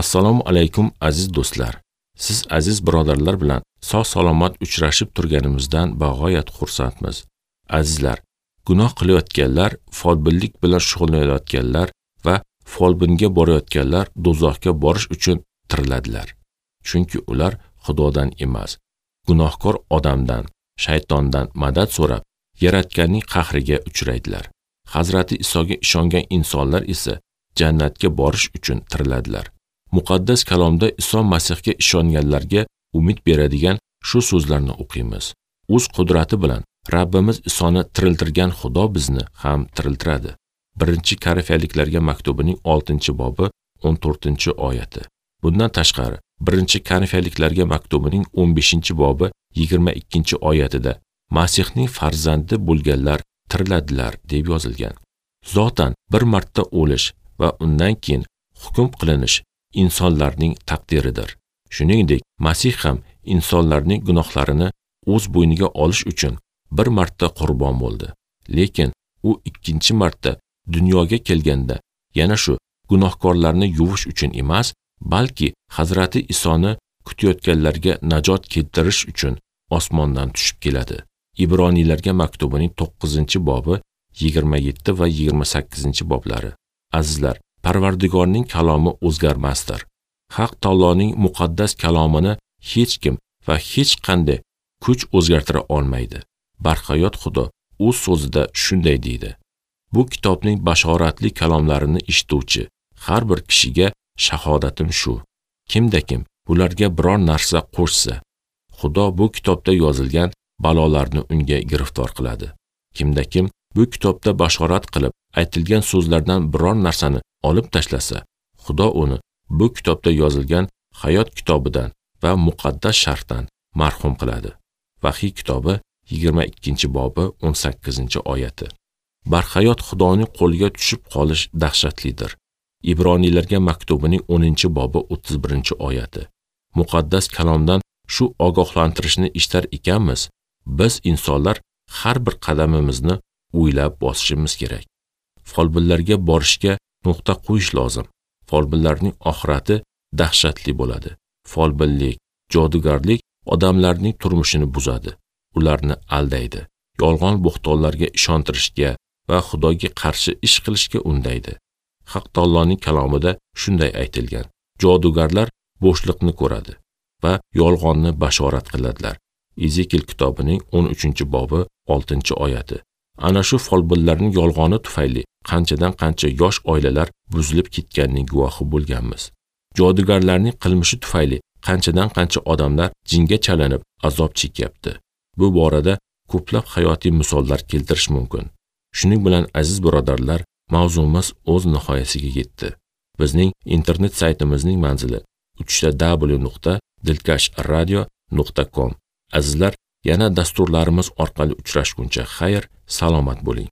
Assalomu alaykum aziz do'stlar. Siz aziz birodarlar bilan sog' salomat uchrashib turganimizdan bag'oyat xursandmiz. Azizlar, gunoh qilayotganlar, folbinlik bilan shug'ullanayotganlar va folbinga borayotganlar do'zaxga borish uchun tiriladilar. Chunki ular Xudodan emas, gunohkor odamdan, shaytondan madad so'rab, Yaratganning qahriga uchraydilar. Hazrati Isoga ishongan insonlar esa jannatga borish uchun tiriladilar. Muqaddas kalomda Iso Masihga ishonganlarga umid beradigan shu so'zlarni o'qiymiz. O'z qudrati bilan Rabbimiz Isoni tiriltirgan Xudo bizni ham tiriltiradi. 1-Korinfyaliklarga maktubining 6-bobi 14-oyati. Bundan tashqari, 1-Korinfyaliklarga maktubining 15-bobi 22-oyatida Masihning farzandi bo'lganlar tiriladilar deb yozilgan. Zotan bir marta o'lish va undan keyin hukm qilinish insonlarning taqdiridir. Shuningdek, Masih ham insonlarning gunohlarini o'z bo'yniga olish uchun bir marta qurbon bo'ldi. Lekin u ikkinchi marta dunyoga kelganda yana shu gunohkorlarni yuvish uchun emas, balki Hazrati Isoni kutayotganlarga najot keltirish uchun osmondan tushib keladi. Ibroniylarga maktubining 9-bobi 27 va 28-boblari. Azizlar, Parvardigorning kalomi o'zgarmasdir. Haq taoloning muqaddas kalomini hech kim va hech qanday kuch o'zgartira olmaydi. Barhayot Xudo o'z so'zida shunday deydi: Bu kitobning bashoratli kalomlarini eshituvchi har bir kishiga shahodatim shu. Kimda-kim bularga biror narsa qo'shsa, Xudo bu kitobda yozilgan balolarni unga giriftor qiladi. Kimda-kim bu kitobda bashorat qilib aytilgan so'zlardan biror narsani olib tashlasa, Xudo uni bu kitobda yozilgan hayot kitobidan va muqaddas shartdan mahrum qiladi. Vahiy kitobi 22-bobi 18-oyati. Barhayot Xudoning qo'liga tushib qolish dahshatlidir. Ibroniylarga maktubining 10-bobi 31-oyati. Muqaddas kalomdan shu ogohlantirishni eshitar ekanmiz, biz insonlar har bir qadamimizni o'ylab bosishimiz kerak. Folbinlarga borishga nuqta qo'yish lozim. Folbinlarning oxirati dahshatli bo'ladi. Folbinlik, jodugarlik odamlarning turmushini buzadi, ularni aldaydi, yolg'on bo'xtonlarga ishontirishga va Xudoga qarshi ish qilishga undaydi. Haq taoloning kalomida shunday aytilgan: jodugarlar bo'shliqni ko'radi va yolg'onni bashorat qiladilar. Ezekiel kitobining 13-bobi 6-oyati. Ana shu folbinlarning yolg'oni tufayli qanchadan qancha yosh oilalar buzilib ketganining guvohi bo'lganmiz. Jodugarlarning qilmishi tufayli qanchadan qancha odamlar jinga chalinib azob chekyapti. Bu borada ko'plab hayotiy misollar keltirish mumkin. Shuning bilan aziz birodarlar, mavzumiz o'z nihoyasiga yetdi. Bizning internet saytimizning manzili www.dilkashradio.com. Azizlar, yana dasturlarimiz orqali uchrashguncha xayr, salomat bo'ling.